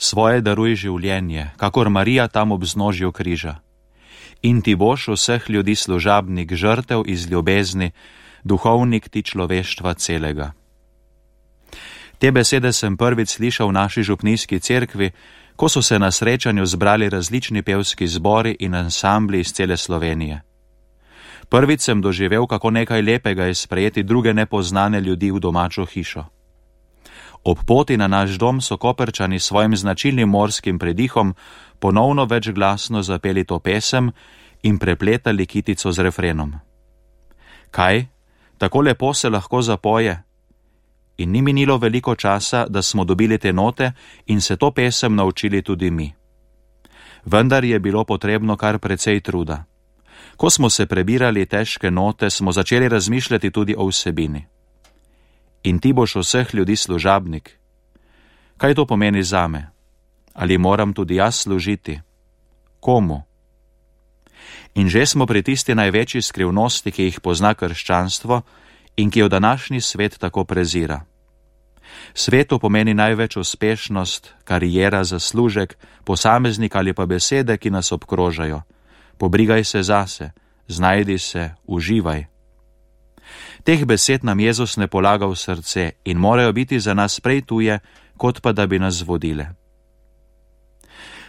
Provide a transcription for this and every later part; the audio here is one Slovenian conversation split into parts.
Svoje daruj življenje, kakor Marija tam ob vznožju križa. In ti boš vseh ljudi služabnik, žrtev iz ljubezni, duhovnik ti človeštva celega. Te besede sem prvič slišal v naši župnijski cerkvi, ko so se na srečanju zbrali različni pevski zbori in ansambli iz cele Slovenije. Prvič sem doživel, kako nekaj lepega je sprejeti druge nepoznane ljudi v domačo hišo. Ob poti na naš dom so Koprčani s svojim značilnim morskim predihom ponovno večglasno zapeli to pesem in prepletali kitico z refrenom. Kaj? Tako lepo se lahko zapoje? In ni minilo veliko časa, da smo dobili te note in se to pesem naučili tudi mi. Vendar je bilo potrebno kar precej truda. Ko smo se prebirali težke note, smo začeli razmišljati tudi o vsebini. In ti boš vseh ljudi služabnik. Kaj to pomeni zame? Ali moram tudi jaz služiti? Komu? In že smo pri tisti največji skrivnosti, ki jih pozna krščanstvo in ki jo današnji svet tako prezira. Svetu pomeni največ uspešnost, karijera, zaslužek, posameznik ali pa besede, ki nas obkrožajo. Pobrigaj se zase, znajdi se, uživaj. Teh besed nam Jezus ne polaga v srce in morajo biti za nas prej tuje, kot pa da bi nas vodile.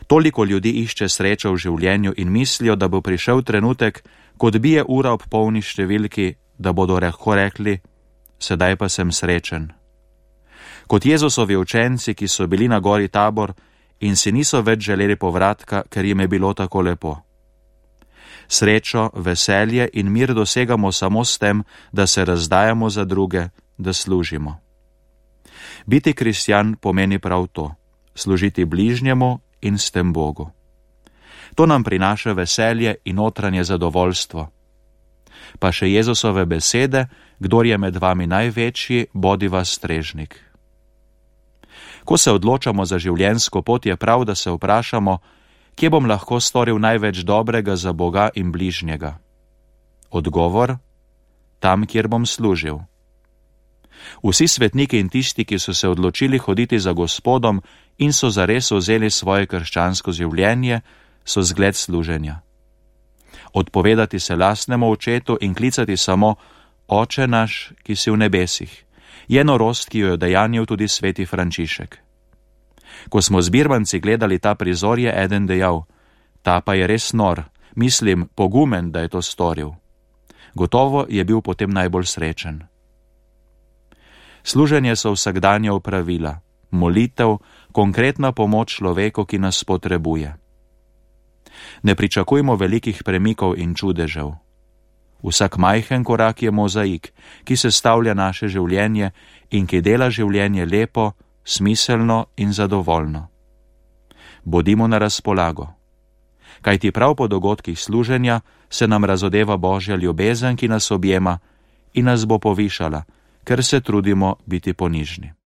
Toliko ljudi išče srečo v življenju in mislijo, da bo prišel trenutek, ko bije ura ob polni številki, da bodo lahko rekli, sedaj pa sem srečen. Kot Jezusovi učenci, ki so bili na gori Tabor in si niso več želeli povratka, ker jim je bilo tako lepo. Srečo, veselje in mir dosegamo samo s tem, da se razdajamo za druge, da služimo. Biti kristjan pomeni prav to, služiti bližnjemu in s tem Bogu. To nam prinaša veselje in notranje zadovoljstvo. Pa še Jezusove besede, kdor je med vami največji, bodi vas strežnik. Ko se odločamo za življenjsko pot, je prav, da se vprašamo, kje bom lahko storil največ dobrega za Boga in bližnjega. Odgovor? Tam, kjer bom služil. Vsi svetniki in tisti, ki so se odločili hoditi za Gospodom in so zares vzeli svoje krščansko življenje, so zgled služenja. Odpovedati se lastnemu očetu in klicati samo Oče naš, ki si v nebesih, je norost, ki jo je dejanil tudi sveti Frančišek. Ko smo z birmanci gledali ta prizor, je eden dejal, ta pa je res nor, mislim, pogumen, da je to storil. Gotovo je bil potem najbolj srečen. Služenje so vsakdanja opravila, molitev, konkretna pomoč človeku, ki nas potrebuje. Ne pričakujmo velikih premikov in čudežev. Vsak majhen korak je mozaik, ki sestavlja naše življenje in ki dela življenje lepo, smiselno in zadovoljno. Bodimo na razpolago. Kajti prav po dogodkih služenja se nam razodeva Božja ljubezen, ki nas objema in nas bo povišala, ker se trudimo biti ponižni.